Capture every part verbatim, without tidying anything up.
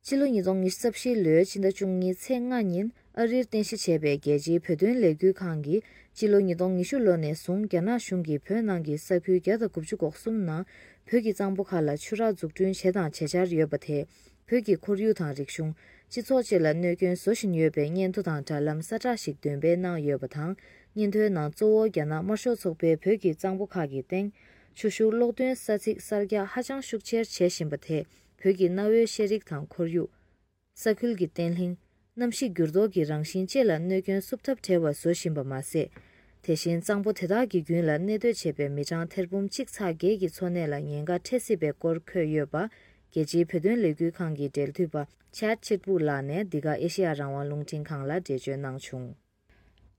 ཕྱི་ལོ་ཉིས་སྟོང་ཉི་ཤུ་རྩ་བཞི་ལོའི་ཕྱི་ཟླ་བཅུ་གཉིས་ཚེས་ལྔ་ཉིན་ཨ་རིར་རྟེན་གཞི་བྱས་པའི་རྒྱལ་སྤྱིའི་བོད་དོན་ལས་འགུལ་ཁང་གིས་ཕྱི་ལོ་ཉིས་སྟོང་ཉི་ཤུ་ལོ་ནས་བཟུང་རྒྱ་ནག་གཞུང་གིས་བོད་ནང་གི་ས་ཁུལ་བརྒྱ་དང་དགུ་བཅུ་གོ་གསུམ་ནང་བོད་ཀྱི་གཙང་པོ་ཁག་ལ་ཆུ་རགས་འཛུགས་སྐྲུན་བྱས་དང་བྱེད་འཆར་ཡོད་པ་དེས་བོད་ཀྱི་ཁོར་ཡུག་དང་རིག་གཞུང་། སྤྱི་ཚོགས་བཅས་ལ་གནོད་སྐྱོན་བཟོ་བཞིན་ཡོད་པའི་སྙན་ཐོ་དང་དྲ་ལམ་གསལ་བསྒྲགས་ཤིག་འདོན་སྤེལ་གནང་ཡོད་པ་དང་། སྙན་ཐོའི་ནང་གཙོ་བོ་རྒྱ་ནག་དམར་ཤོག་ཚོགས་པས་བོད་ཀྱི་གཙང་པོ་ཁག་གི་སྟེང་ཆུ་ཤུགས་གློག་འདོན་ས་ཚིགས་གསར་རྒྱག་ཧ་ཅང་ཤུགས་ཆེར་བྱེད་བཞིན་པ་དེས་བོད་ཀྱི་གནའ་བོའི་ཤེས་རིག་དང་ཁོར་ཡུག་ས་ཁུལ་གྱི་བརྟན་ལྷིང་། གནམ་གཤིས་འགྱུར་ལྡོག་གི་རང་བཞིན་བཅས་ལ་གནོད་སྐྱོན་བསུབ་ཐབས་བྲལ་བ་བཟོ་བཞིན་པ་མ་ཟད། དེ་བཞིན་གཙང་པོ་དེ་དག་གི་རྒྱུན་ལ་གནས་སྡོད་བྱེད་པའི་མི་གྲངས་ཐེར་འབུམ་གཅིག་ཚེག་བརྒྱད་ཀྱི་འཚོ་གནས་ལ་ཉེན་ཁ་འཕྲད་སྲིད་པའི་སྐོར་འཁོད་ཡོད་པ། རྒྱལ་སྤྱིའི་བོད་དོན་ལས་འགུལ་ཁང་གི་འབྲེལ་མཐུད་པ་ཆད་ཆིར་པུ་ལགས་ནས་འདི་ག་ཨེ་ཤེ་ཡ་རང་དབང་རླུང་འཕྲིན་ཁང་ལ་འགྲེལ་བརྗོད་གནང་བྱུང་།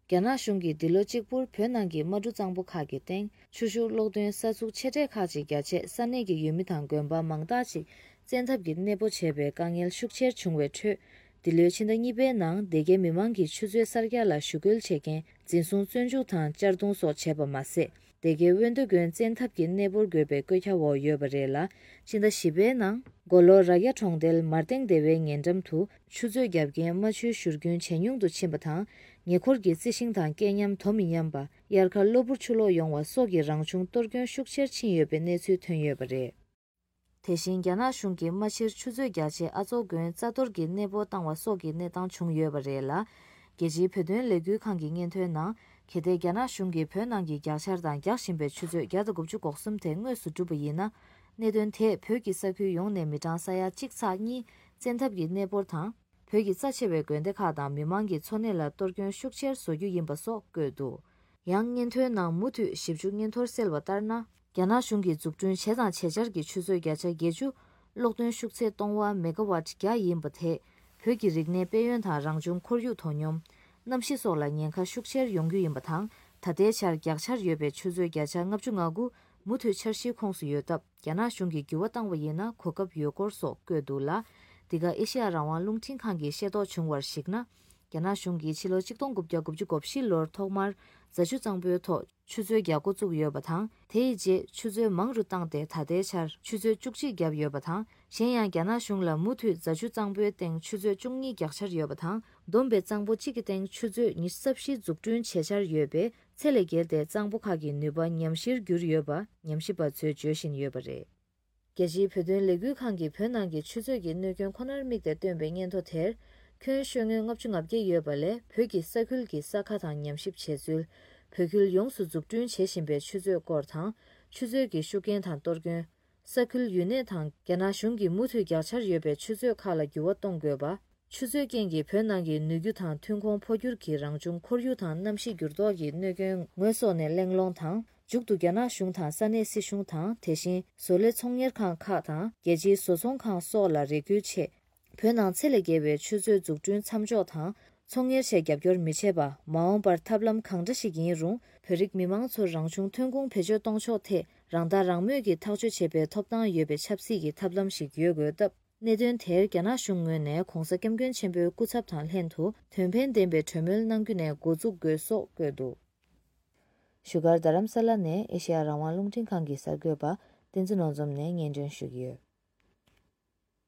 རྒྱ་ནག་གཞུང་གིས་འདི་ལོ་གཅིག་པུར་བོད་ནང་གི་དམག་གྲུ་གཙང་པོ་ཁག་གི་སྟེང་ཆུ་ཤུགས་གློག་འདོན་ས་ཚུགས་ཆེ་གྲས་ཁག་ཅིག་བརྒྱ་ཆད། ས་གནས་ཀྱི་ཡུལ་མི་དང་དགོན་པ་མང་དག་ཅིག་བཙན་ཐབས་ཀྱིས་གནས་སྤོ་བྱས་པའི་དཀའ་ངལ་ཤུགས་ཆེར་བྱུང་བའི་ཁྲོད། འདི་ལོའི་ཕྱི་ཟླ་གཉིས་པའི་ནང་སྡེ་དགེ་མི་མང་གིས་ཆུ་མཛོད་གསར་རྒྱག་ལ་ཞུ་སྐུལ་བྱེད་མཁན་འཛིན་བཟུང་བཙོན་འཇུག་དང་གཅར་རྡུང་སོགས་བྱས་པ་མ་ཟད། སྡེ་དགེ་དབོན་རྡོ་དགོན་བཙན་ཐབས་ཀྱིས་གནས་སྤོར་དགོས་པའི་བཀོད་ཁྱབ་འོག་ཡོད་པ་རེད་ལ། ཕྱི་ཟླ་བཞི་པའི་ནང་། མགོ་ལོག་ར་རྒྱ་གྲོང་རྡལ་མར་སྟེང་སྡེ་བའི་ཉེ་འགྲམ་དུ་ཆུ་མཛོད་བརྒྱབ་མཁན་རྨ་ཆུའི་བཞུར་རྒྱུན་ཇེ་ཉུང་དུ་ཕྱིན་པ་དང་། ཉེ་འཁོར་གྱི་རྩི་ཤིང་དང་སྐད་ཉམས་དོ་མི་མཉམ་པ། དབྱར་ཁ་གློ་བུར་ཆུ་ལོག་ཡོང་བ་སོགས་ཀྱི་རང་བྱུང་གཏོར་སྐྱོན་ཤུགས་ཆེར་ཕྱིན་ཡོད་པའི་གནས་ཚུལ་ཐོན་ཡོད་པ་རེད། དེ་བཞིན་རྒྱ་ནག་གཞུང་གིས་རྨ་ཆུར་ཆུ་མཛོད་རྒྱག་ཆེད་ཨ་མཚོ་དགོན་རྩ་གཏོར་གྱིས་གནས་སྤོ་བཏང་བ་སོགས་ཀྱི་གནས་སྟངས་བྱུང་ཡོད་པ་རེད་ལ། རྒྱལ་སྤྱིའི་བོད་དོན་ལས་འགུལ་ཁང་གི་སྙན་ཐོའི་ནང་། གལ་ཏེ་རྒྱ་ནག་གཞུང་གིས་བོད་ནང་གི་རྒྱག་ཆར་དང་རྒྱག་བཞིན་པའི་ཆུ་མཛོད་བརྒྱ་དང་དགུ་བཅུ་གོ་གསུམ་དེ་དངོས་སུ་གྲུབ་པ་ཡིན་ན། གནད་དོན་དེས་བོད་ཀྱི་ས་ཁུལ་ཡོངས་ནས་མི་གྲངས་ས་ཡ་གཅིག་ཚེག་གཉིས་བཙན་ཐབས་ཀྱིས་གནས་སྤོར་དང་། བོད་ཀྱི་རྩ་ཆེ་བའི་དགོན་སྡེ་ཁག་དང་མི་མང་གི་འཚོ་གནས་ལ་གཏོར་སྐྱོན་ཤུགས་ཆེར་བཟོ་རྒྱུ་ཡིན་པ་སོགས་བཀོད་འདུག་ཡང་སྙན་ཐོའི་ནང་མུ་མཐུད་ཞིབ་འཇུག་སྙན་ཐོར་གསལ་བ་ལྟར་ན། རྒྱ་ནག་གཞུང་གིས་འཛུགས་སྐྲུན་བྱས་དང་བྱེད་འཆར་གྱི་ཆུ་མཛོད་བརྒྱ་ཆ་བརྒྱད་ཅུ། གློག་འདོན་ཤུགས་ཚད་སྟོང་ཝ་མེ་ག་ཝཊ་བརྒྱ་ཡིན་པ་དེས། བོད་ཀྱི་རིག་གནས་དཔལ་ཡོན་དང་རང་བྱུང་ཁོར་ཡུག་དོ་སྙོམས། གནམ་གཤིས་སོགས་ལ་ཉེན་ཁ་ཤུགས་ཆེར་ཡོང་རྒྱུ་ཡིན་པ་དང་། ད་ལྟའི་ཆར་རྒྱག་འཆར་ཡོད་པའི་ཆུ་མཛོད་བརྒྱ་ཆ་ལྔ་བཅུ་ང་དགུ་མུ་མཐུད་འཆར་གཞིའི་ཁོངས་སུ་ཡོད་སྟབས། རྒྱ་ནག་གཞུང་གིས་འགྱུར་བ་བཏང་བ་ཡིན་ན་གོ་སྐབས་ཡོད་སྐོར་སོགས་བཀོད་འདུག་ལ། འདི་ག་ཨེ་ཤེ་ཡ་རང་དབང་རླུང་འཕྲིན་ཁང་གིས་ཤེས་རྟོགས་བྱུང་བར་གཞིགས་ན། རྒྱ་ནག་གཞུང་གིས་ཕྱི་ལོ་ཆིག་སྟོང་དགུ་བརྒྱ་དགུ་བཅུ་གོ་བཞི་ལོར་ཐོག་མར་རྫ་ཆུ་གཙང་པོའི་ཐོག་ཆུ་མཛོད་རྒྱག་འགོ་བཙུགས་ཡོད་པ་དང་། དེའི་རྗེས་ཆུ་མཛོད་མང་རུ་བཏང་སྟེ་ད་ལྟའི་ཆར་ཆུ་མཛོད་བཅུ་གཅིག་བརྒྱབ་ཡོད་པ་དང་། གཞན་ཡང་རྒྱ་ནག་གཞུང་ལ་མུ་མཐུད་རྫ་ཆུ་གཙང་པོའི་སྟེང་ཆུ་མཛོད་བཅུ་གཉིས་རྒྱག་འཆར་ཡོད་པ་དང་། བསྡོམས་པའི་གཙང་པོ་གཅིག་གི་སྟེང་ཆུ་མཛོད་ཉི་ཤུ་རྩ་བཞི་འཛུགས་སྐྲུན་བྱེད་འཆར་ཡོད་པས། ཚད་ལས་བརྒལ་ཏེ་གཙང་པོ་ཁག་གི་ནུས་པ་ཉམས་ཞིར་གྱུར་ཡོད་པ་ཉམས་ཞིབ་པ་ཚོས་བརྗོད་བཞིན་ཡོད་པ་རེད། རྒྱལ་སྤྱིའི་བོད་དོན་ལས་འགུལ་ཁང་གིས་བོད་ནང་གི་ཆུ་མཛོད་ཀྱི་གནོད་སྐྱོན་ཁོ་ནར་དམིགས་ཏེ་བཏོན་པའི་སྙན་ཐོ་དེར། ཁྱོན་ཤོད་ངོས་ལྔ་བཅུ་ང་བརྒྱད་ཡོད་པ་ལས་བོད་ཀྱི་ས་ཁུལ་གྱི་ས་ཁ་དང་ཉམས་ཞིབ་བྱས་ཚུལ། བོད་ཁུལ་ཡོངས་སུ་འཛུགས་སྐྲུན་བྱེད་བཞིན་པའི་ཆུ་མཛོད་སྐོར་དང་། ཆུ་མཛོད་ཀྱི་ཤུགས་རྐྱེན་དང་གཏོར་སྐྱོན། ས་ཁུལ་ཡུལ་གནས་དང་རྒྱ་ནག་གཞུང་གིས་མུ་མཐུད་རྒྱག་འཆར་ཡོད་པའི་ཆུ་མཛོད་ཁག་ལ་འགྱུར་བ་གཏོང་དགོས་པ། ཆུ་མཛོད་རྐྱེན་གྱིས་བོད་ནང་གི་ནུས་རྒྱུ་དང་ཐོན་ཁུངས་འཕོ་འགྱུར་གྱིས་རང་བྱུང་ཁོར་ཡུག་དང་གནམ་གཤིས་འགྱུར་ལྡོག་གི་གནོད་སྐྱོན་ངོས་ཟོག་ནས་གླེང་སློང་དང་། མཇུག་ཏུ་རྒྱ་ནག་གཞུང་དང་ས་གནས་སྲིད་གཞུང་དང་། དེ་བཞིན་བཟོ་ལས་ཚོང་གཉེར་ཁང་ཁག་དང་རྒྱལ་སྤྱིའི་བཟོ་ཚོང་ཁང་སོགས་ལ་རེ་སྐུལ་ཆེད། བོད་ནང་ཚད་ལས་བརྒལ་བའི་ཆུ་མཛོད་འཛུགས་སྐྲུན་མཚམས་འཇོག་དང་། ཚོང་གཉེར་ཆེད་རྒྱབ་སྐྱོར་མི་བྱེད་པ། མ་འོངས་པར་ཐབས་ལམ་གང་འདྲ་ཞིག་ཡིན་རུང་། བོད་རིགས་མི་མང་ཚོར་རང་བྱུང་ཐོན་ཁུངས་བེད་སྤྱོད་གཏོང་ཕྱོགས་ཐད། རང་ཐག་རང་མོས་ཀྱིས་ཐག་གཅོད་བྱེད་པའི་ཐོབ་ཐང་ཡོད་པའི་ཆབ་སྲིད་ཀྱི་ཐབས་ལམ་ཞིག་ཡོད་དགོས་སྟབས། གནད་དོན་དེར་རྒྱ་ནག་གཞུང་ངོས་ནས་༧གོང་ས་༧སྐྱབས་མགོན་ཆེན་པོའི་སྐུ་ཚབ་དང་ལྷན་དུ་དོན་ཕན་ལྡན་པའི་གྲོས་མོལ་གནང་རྒྱུ་ནས་འགོ་འཛུགས་དགོས་སོགས་བཀོད་འདུག་བཞུགས་སྒར་རྡ་རམ་ས་ལ་ནས་ཨེ་ཤེ་ཡ་རང་དབང་རླུང་འཕྲིན་ཁང་གི་གསར་འགོད་པ་བསྟན་འཛིན་ནོར་འཛོམས་ནས་སྙན་སྒྲོན་ཞུ་གི་ཡོད།